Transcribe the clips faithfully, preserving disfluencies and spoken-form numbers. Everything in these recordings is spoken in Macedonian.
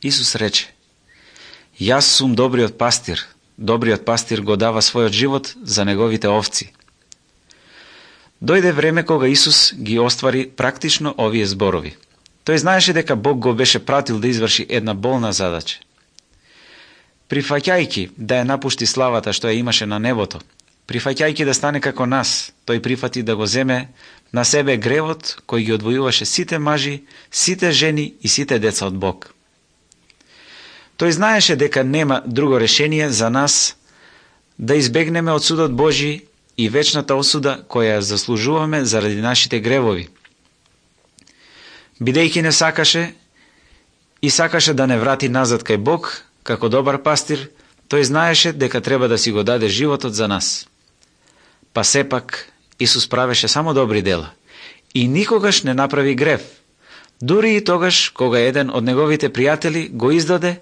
Исус рече: Јас сум добриот пастир. Добриот пастир го дава својот живот за неговите овци. Дојде време кога Исус ги оствари практично овие зборови. Тој знаеше дека Бог го беше пратил да изврши една болна задача. Прифаќајќи да ја напушти славата што ја имаше на небото, прифаќајќи да стане како нас, тој прифати да го земе на себе гревот кој ги одвојуваше сите мажи, сите жени и сите деца од Бог. Тој знаеше дека нема друго решение за нас да избегнеме од судот Божи и вечната осуда која ја заслужуваме заради нашите гревови. Бидејќи не сакаше и сакаше да не врати назад кај Бог, како добар пастир, тој знаеше дека треба да си го даде животот за нас. Па сепак Исус правеше само добри дела и никогаш не направи грев, дури и тогаш кога еден од неговите пријатели го издаде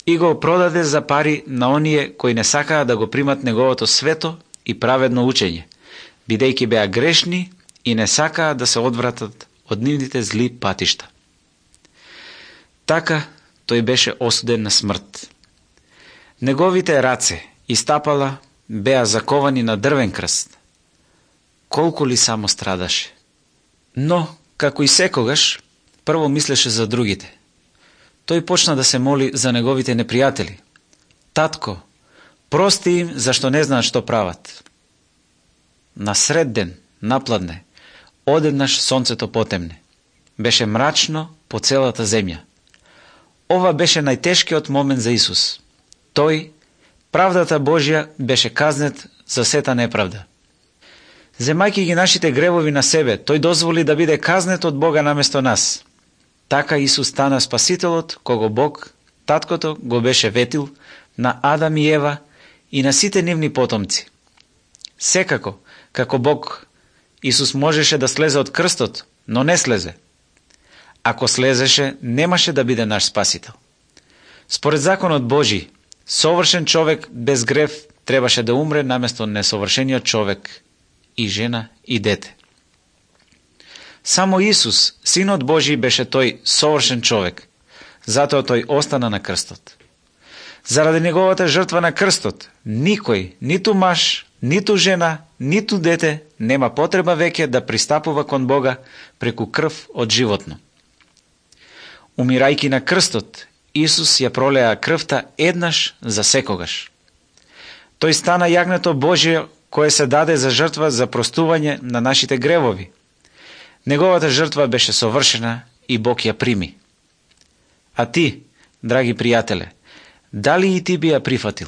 и го продаде за пари на оние кои не сакаа да го примат неговото свето и праведно учење, бидејќи беа грешни и не сакаа да се одвратат од нивните зли патишта. Така тој беше осуден на смрт. Неговите раце и стапала беа заковани на дрвен крст. Колку ли само страдаше. Но, како и секогаш, прво мислеше за другите. Тој почна да се моли за неговите непријатели. Татко, прости им зашто не знаат што прават. На сред ден, напладне, одеднаш сонцето потемне. Беше мрачно по целата земја. Ова беше најтешкиот момент за Исус. Тој, правдата Божја, беше казнет за сета неправда. Земајќи ги нашите гревови на себе, тој дозволи да биде казнет од Бога наместо нас. Така Исус стана спасителот, кого Бог, таткото, го беше ветил на Адам и Ева и на сите нивни потомци. Секако, како Бог, Исус можеше да слезе од крстот, но не слезе. Ако слезеше, немаше да биде наш спасител. Според законот Божи, совршен човек без грев требаше да умре наместо несовршениот човек, и жена, и дете. Само Исус, Синот Божи, беше тој совршен човек, затоа тој остана на крстот. Заради неговата жртва на крстот, никој, ниту маж, ниту жена, ниту дете, нема потреба веќе да пристапува кон Бога преку крв од животно. Умирајќи на крстот, Исус ја пролеа крвта еднаш за секогаш. Тој стана јагнето Божие кое се даде за жртва за простување на нашите гревови. Неговата жртва беше совршена и Бог ја прими. А ти, драги пријателе, дали и ти би ја прифатил?